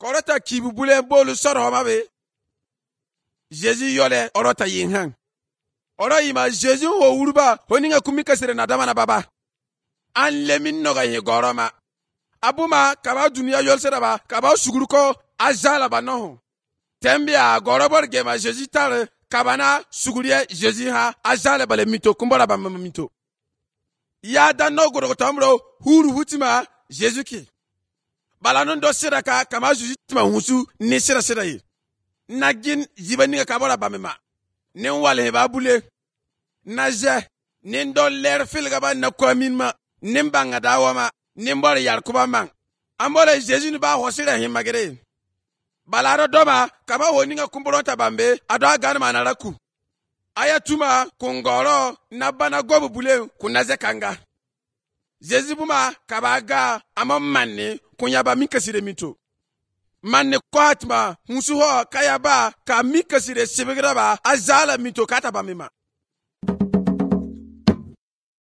korota kibu bule bolu soro ma be Jésus yole orota yinhan oro yima Jésus ho wuruba honinga kumika sire na dama na baba an lemin noga ye goroma abuma kaba dunia yol seraba kaba suguruko azala banoho tembia gorobor gema Jésus tare kabana sugurie Jésus ha azala bale mito kumbora ba mito ya da no goro tamro huru hutima Jésus ki balanon do siraka kama Jésus tima husu ni sira yi nagin jibani ka bora ba mema nin wale ba bule naje nin do ler filga ba na komin ma nin banga dawama nin bor yar kuba man ambole Jésus ni ba hosira himagere balaro doma kama honinga kumburota bambe ado ganma na raku ayatuma kungoro na bana gobu bule kunaze kanga Jésus buma kabaga amammanne kunyaba mikasire mito manne kwatma musuho kayaba ka mikasire sibigraba azala mito kata bamema